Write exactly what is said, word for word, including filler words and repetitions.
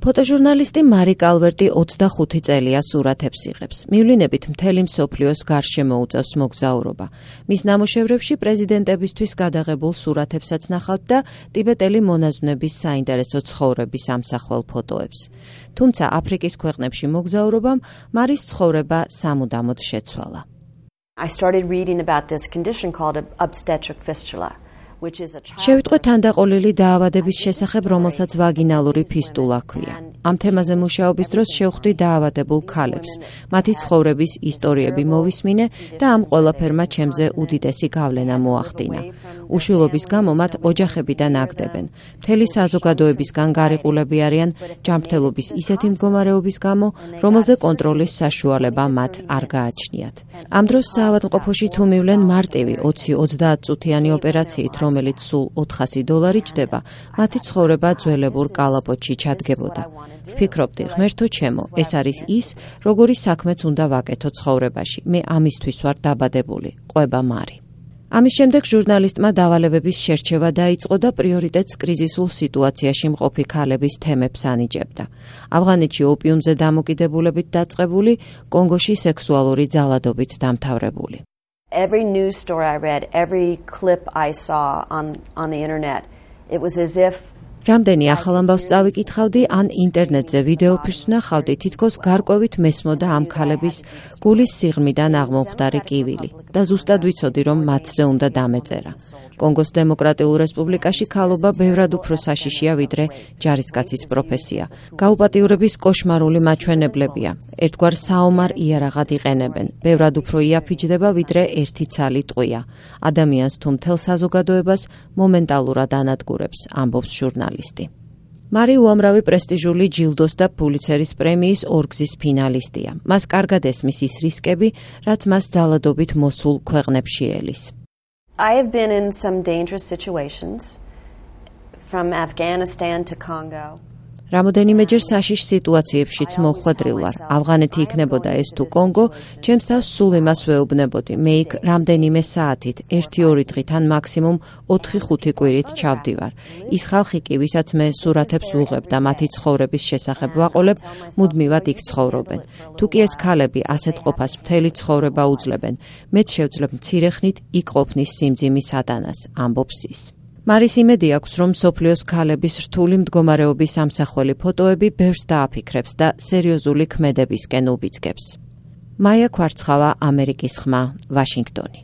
ფოტოჟურნალისტი მარი კალვერტი ოცდახუთი წელია სურათებს იღებს. მივლინებით მთელი მსოფლიოს გარშემო უწევს მოგზაურობა. მის ნამუშევრებში პრეზიდენტებისთვის გადაღებულ სურათებსაც ნახავთ და ტიბეტელი მონაზვნების საინტერესო ცხოვრების ამსახველ ფოტოებს. თუმცა აფრიკის ქვეყნებში მოგზაურობამ მარის ცხოვრება სამუდამოდ შეცვალა. I started reading about this condition called obstetric fistula. შევიტყვე თანდაყოლილი დაავადების შესახებ, რომელსაც ვაგინალური ფისტულა ჰქვია. ამ თემაზე მუშაობის დროს შევხვდი დაავადებულ ქალებს. მათი ცხოვრების ისტორიები მოვისმინე და ამ ყველაფერმა ჩემზე უდიდესი გავლენა მოახდინა. უშვილობის გამო მათ ოჯახებიდან აგდებენ. მთელი საზოგადოებისგან გარიყულები არიან ჯანმრთელობის ისეთი მდგომარეობის გამო, რომელზე კონტროლის საშუალება მათ არ გააჩნიათ. ამ დროს საავადმყოფოში თუ მივლენ მარტივი ოცი ოცდაათ წუთიანი ოპერაციით, რომელიც სულ ოთხასი დოლარი ჯდება, მათი ცხოვრება ძველებურ კალაპოტში ჩადგებოდა. ვფიქრობდი, ღმერთო ჩემო, ეს არის ის, როგორი საქმეც უნდა ვაკეთო ცხოვრებაში. მე ამისთვის ვარ დაბადებული, ყვება მარი. ამის შემდეგ ჟურნალისტმა დავალებების შერჩევა დაიწყო და პრიორიტეტს კრიზისულ სიტუაციაში მყოფი ქალების თემებს ანიჭებდა. ავღანეთში ოპიუმზე დამოკიდებულებით დაწყებული, კონგოში სექსუალური ძალადობით დამთავრებული. Every news story I read, every clip I saw on on the internet, it was as if რამდენი ახალ ამბავს წავიკითხავდი, ან ინტერნეტზე ვიდეოფილმს ვნახავდი, თითქოს გარკვევით მესმოდა ამ ქალების გულის სიღრმიდან აღმომხდარი კივილი და ზუსტად ვიცოდი, რომ მათზე უნდა დამეწერა. კონგოს დემოკრატიულ რესპუბლიკაში ქალობა ბევრად უფრო საშიშია, ვიდრე ჯარისკაცის პროფესია. გაუპატიურების კოშმარული მაჩვენებლებია. ერთგვარ საომარ იარაღად იყენებენ. ბევრად უფრო იაფიჯდება, ვიდრე ერთი ცალი ტყვია. ადამიანს თუ მთელ საზოგადოებას მომენტალურად ანადგურებს, ამბობს ჟურნალისტი. მარი უამრავი პრესტიჟული ჯილდოს და პულიცერის პრემიის ორგზის ფინალისტია. მას კარგად ესმის ის რისკები, რაც მას ძალადობით მოსულ ქვეყნებში ელის. I have been in some dangerous situations from Afghanistan to Congo. რამოდენიმეჯერ საშიშ სიტუაციებშიც მოხვედრილ ვარ. ავღანეთი იქნებოდა ეს თუ კონგო, ჩემს თავს სულ იმას ვეუბნებოდი. მე იქ რამდენიმე საათით, ერთი-ორი დღით ან მაქსიმუმ ოთხი-ხუთი კვირით ჩავდივარ. ის ხალხი კი, ვისაც მე სურათებს ვუღებ და მათი ცხოვრების შესახებ ვაყოლებ, მუდმივად იქ ცხოვრობენ. თუ კი ეს ქალები ასეთ ყოფას მთელი ცხოვრება უძლებენ, მეც შევძლებ მცირე ხნით იქ ყოფნის სიმძიმის ატანას, ამბობს ის. მარის იმედი აქვს, რომ მსოფლიოს ქალების რთული მდგომარეობის ამსახველი ფოტოები ბევრს დააფიქრებს და სერიოზული ქმედებისკენ უბიძგებს. მაია ქვარცხავა, ამერიკის ხმა, ვაშინგტონი.